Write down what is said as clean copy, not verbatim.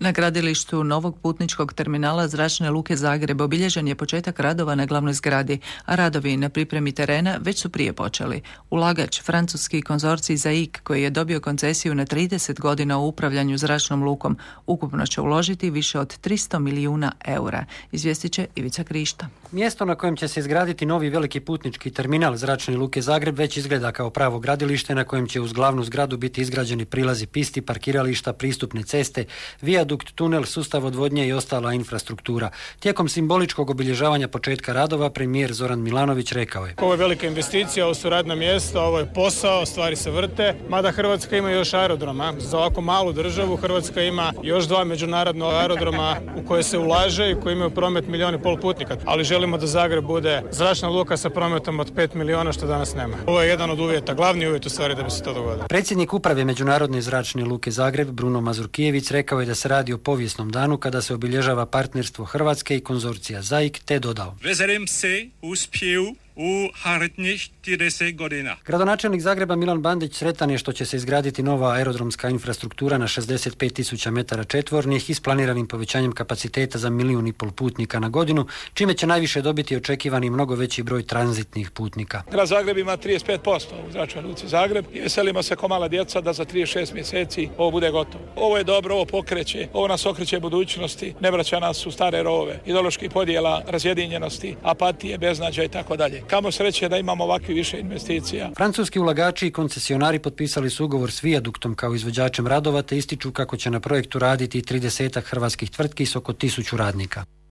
Na gradilištu novog putničkog terminala Zračne luke Zagreb obilježen je početak radova na glavnoj zgradi, a radovi na pripremi terena već su prije počeli. Ulagač, francuski konzorcij ZAIK, koji je dobio koncesiju na 30 godina u upravljanju zračnom lukom, ukupno će uložiti više od 300 milijuna eura, izvijestit će Ivica Krišta. Mjesto na kojem će se izgraditi novi veliki putnički terminal Zračne luke Zagreb već izgleda kao pravo gradilište na kojem će uz glavnu zgradu biti izgrađeni prilazi pisti, parkirališta, pristupne ceste, vijadukt, tunel, sustav odvodnje i ostala infrastruktura. Tijekom simboličkog obilježavanja početka radova premijer Zoran Milanović rekao je: Ovo je velika investicija, ovo su radna mjesta, ovo je posao, stvari se vrte, mada Hrvatska ima još aerodroma. Za ovako malu državu Hrvatska ima još 2 međunarodna aerodroma u koje se ulaže i koji imaju promet 1,5 milijuna putnika. Ali želimo da Zagreb bude zračna luka sa prometom od 5 milijuna, što danas nema. Ovo je jedan od uvjeta, glavni uvjet u stvari da bi se to dogodilo. Predsjednik uprave Međunarodne zračne luke Zagreb, Bruno Mazurkijević, rekao je da se radi o povijesnom danu kada se obilježava partnerstvo Hrvatske i konzorcija ZAIK, te dodao: Veselim se uspjehu u narednih 30 godina. Gradonačelnik Zagreba Milan Bandić sretan je što će se izgraditi nova aerodromska infrastruktura na 65.000 metara četvornih i s planiranim povećanjem kapaciteta za 1,5 milijuna putnika na godinu, čime će najviše dobiti očekivani mnogo veći broj tranzitnih putnika. Grad Zagreb ima 35% u Zračnoj luci Zagreb i veselimo se ko mala djeca da za 36 mjeseci ovo bude gotovo. Ovo je dobro, ovo pokreće, ovo nas okreće budućnosti, ne vraća nas u stare rovove, ideoloških podjela, razjedinjenosti, apatije, beznađa i tako dalje. Kamo sreće da imamo ovakvi više investicija. Francuski ulagači i koncesionari potpisali su ugovor s Vijaduktom kao izvođačem radova, te ističu kako će na projektu raditi 30 hrvatskih tvrtki s oko 1000 radnika.